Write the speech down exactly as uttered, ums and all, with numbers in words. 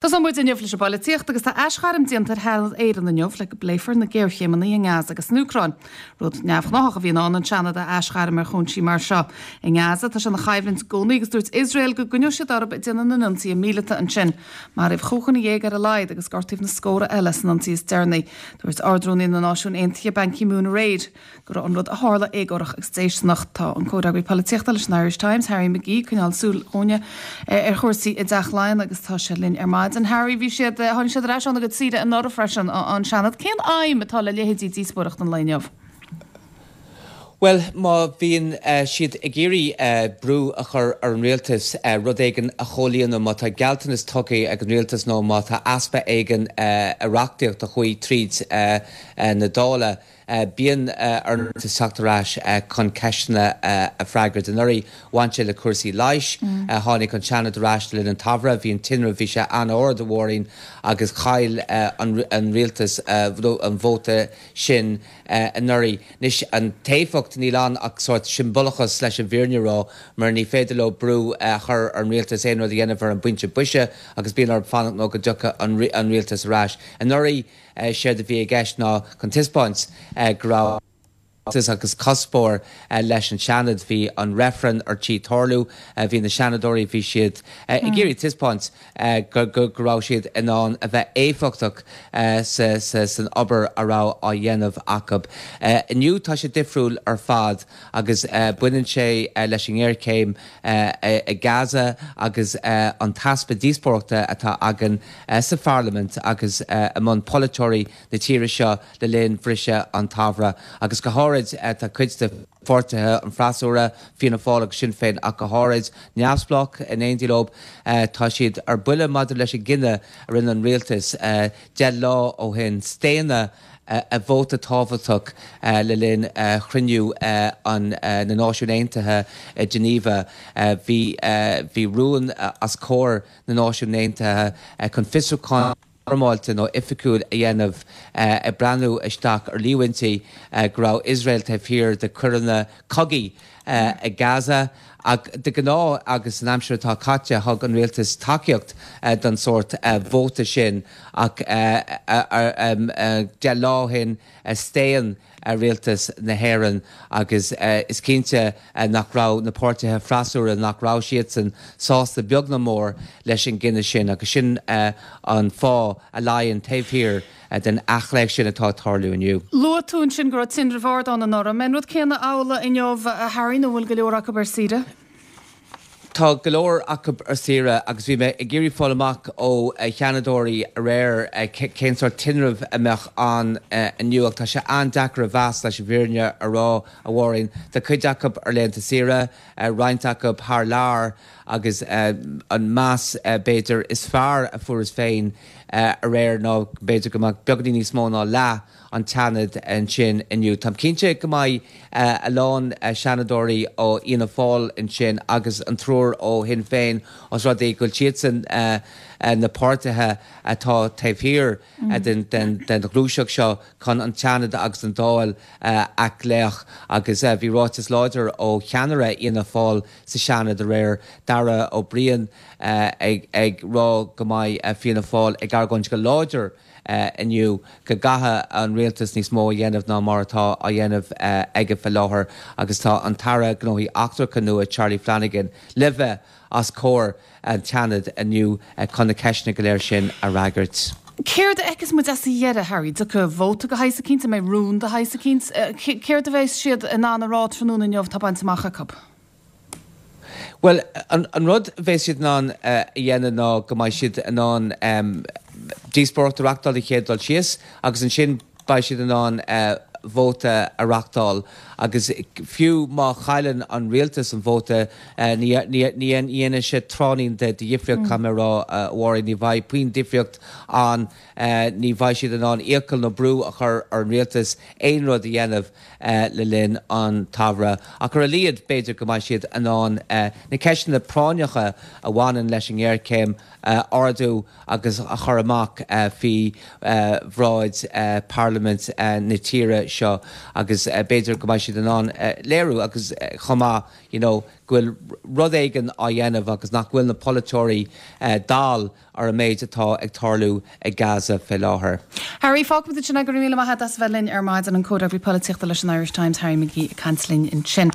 Tosóidh muid inniu leis an bpolaitíocht agus tá aisghairm déanta ar Sheanad Éireann inniu le go bpléifear na géarchéimeanna i nGaza agus san Úcráin. Rud neamhghnáthach a bhíonn ann an Seanad a aisghairm ar chúinsí mar seo. I nGaza tá sé ina choimhlint i gcónaí agus dúirt Iosrael go gcoinneoidh siad orthu ag déanamh na n-ionsaithe míleata ansin. Maraíodh chúig dhuine dhéag ar a laghad agus gortaíodh na scórtha eile san ionsaí is deireanaí. Dúirt Ard-Rúnaí na Náisiún Aontaithe Ban Ki-moon aréir go raibh an rud a tharla éagórach agus déistineach. Tá an comhfhreagraí polaitíochta leis an Irish Times, Harry McGee, ag coinneáil súil dhúinne ar chúrsaí i dTeach Laighean agus tá sé linn ar maidin. Harry, bhí siad tháinig siad ar ais óna gcuid saoire anuraidh freisin an Seanad. Cén aidhm atá le leithéidí díospóireacht an lae inniu? Bhuel, má bhíonn siad ag iarraidh brú a chur ar an rialtas rud éigin a chomhlíonadh, má tá gealltanas tugtha ag an rialtas nó má tá easpa éigin i reachtaíocht a chuaigh tríd na Dála, bíonn ar an rialtas teacht ar ais chun ceisteanna a freagairt. Anuraidh bhain sé le cúrsaí leighis, tháinig an Seanad ar ais le linn an tsamhraidh, bhí an tinreamh, bhí sé an-ard, a Mháirín, agus chaill an rialtas an vóta sin anuraidh. Anois, an t-éifeacht, níl ann ach sórt siombalachas leis an bhfírinne a rá, mar ní féidir leo brú a chur ar an rialtas aon rud a dhéanamh ar an bpointe boise agus bíonn orthu fanacht nó go dtiocfaidh an rialtas ar ais. Anuraidh, séard a bhí i gceist ná chun taispeáint go raibh agus cuspóir leis an Seanad. Bhí an reifreann ar tí tarlú, bhí na Seanadóirí, bhí siad ag iarraidh taispeáint go raibh siad in ann a bheith éifeachtach san obair a raibh á dhéanamh acu. Inniu tá sé difriúil ar fad agus baineann sé leis an ngéarchéim i Gaza agus an t-easpa díospóireachta atá againn sa pharlaimint agus i mbun polaiteoirí na tíre seo le linn bhriseadh an tsamhraidh agus go háirid tá cuid de pháirtithe an fhreasúra, Fianna Fáil agus Sinn Féin ach go háirid, neamhspleách in éindí leo, tá siad ar buile maidir leis an gcinneadh a rinne an rialtas deich lá ó shin staonadh i vóta tábhachtach le linn chruinniú na Náisiún Aontaithe i Geneva. Bhí bhí rún os comhair na Náisiún Aontaithe chun fiosrúchán foirmeálta nó oifigiúil a dhéanamh ag breathnú isteach ar líomhaintí go raibh Iosrael taobh thiar de choireanna cogaidh i Gaza. Ach de ghnáth agus san aimsir atá caite thug an rialtas tacaíocht don sórt vóta sin ach deich lá ó shin staon rialtas na hÉireann agus is cinnte nach raibh na páirtithe freasúra, nach raibh siadsan sásta beag ná mór leis an gcinneadh sin agus sin an fáth a luíonn taobh thiar den athghlaoch sin atá ag tarlú inniu. Luaigh tú ansin go raibh tinreamh ard ann anuraidh. An mbeidh an rud céanna amhlaidh inniu, a Harry, nó bhfuil go leor acu ar saoire? Tá go leor acu ar saoire agus bhí mé ag iarraidh fáil amach ó Sheanadóirí aréir cén sórt tinrimh a mbeadh ann inniu ach tá sé an-deacair a mheas leis an bhfírinne a rá, a Mháirín. Tá cuid acu ar laethanta saoire, roinnt acu thar lear agus an meas b'fhéidir is fearr a fuaireas féin aréir ná b'fhéidir go mbeadh beagáinín níos mó ná leath an tSeanaid ansin inniu. Táim cinnte go mbeidh a lán Seanadóirí ó Fhianna Fáil ansin agus an triúr ó Shinn Féin os rud é go bhfuil siadsan na páirtithe atá taobh thiar den ghluaiseacht seo chun an Seanad agus an Dáil a athghlaoch agus bhí ráiteas láidir ó cheannaire Fhianna Fáil sa Seanad aréir, Darragh Ó Briain, ag rá go mbeidh Fianna Fáil ag argóint go láidir inniu go gcaithfidh an rialtas níos mó a dhéanamh ná mar atá á dhéanamh aige faoi láthair agus tá an tAire Gnóthaí Eachtracha nua Charlie Flanagan le bheith os comhair an tSeanaid inniu chun na ceisteanna go léir sin a fhreagairt. Céard a fheicfeas muid as a dheireadh, Harry? Tiocfaidh vóta de shaghas eicínt, an mbeidh rún de shaghas eicínt? Céard a bheas siad in ann a rá tráthnóna inniu atá bainte amach acu? Bhuel, an rud a bheas siad in ann a dhéanamh ná go mbeidh siad in ann díospóireacht a reachtáil den chéad dul síos agus ansin beidh siad in ann vóta a reachtáil agus fiú má chailleann an rialtas an vóta ní dhéanfaidh sé tráithnín de dhifríocht, caithfidh mé a rá, a Mháirín, ní bheidh puinn difríocht ann, ní bheidh siad in ann iachall nó brú a chur ar an rialtas aon rud a dhéanamh. le linn an tsamhraidh. Ach ar a laghad, b'fhéidir go mbeidh siad in ann na ceisteanna práinneacha a bhaineann leis an ngéarchéim a ardú agus a chur amach faoi bhráid Pharlaimint na tíre seo agus b'fhéidir go mbeidh siad in ann léiriú agus chomh maith you know, go bhfuil rud éigin á dhéanamh agus nach bhfuil na polaiteoirí dall ar an méid atá ag tarlú ag Gaza fé láthair. Harry fágfaimid sin go raibh míle maith as bheith linn ar maidin an comhfhreagraí polaitíochta leis an Irish Times Harry McGee ag caint linn ansin.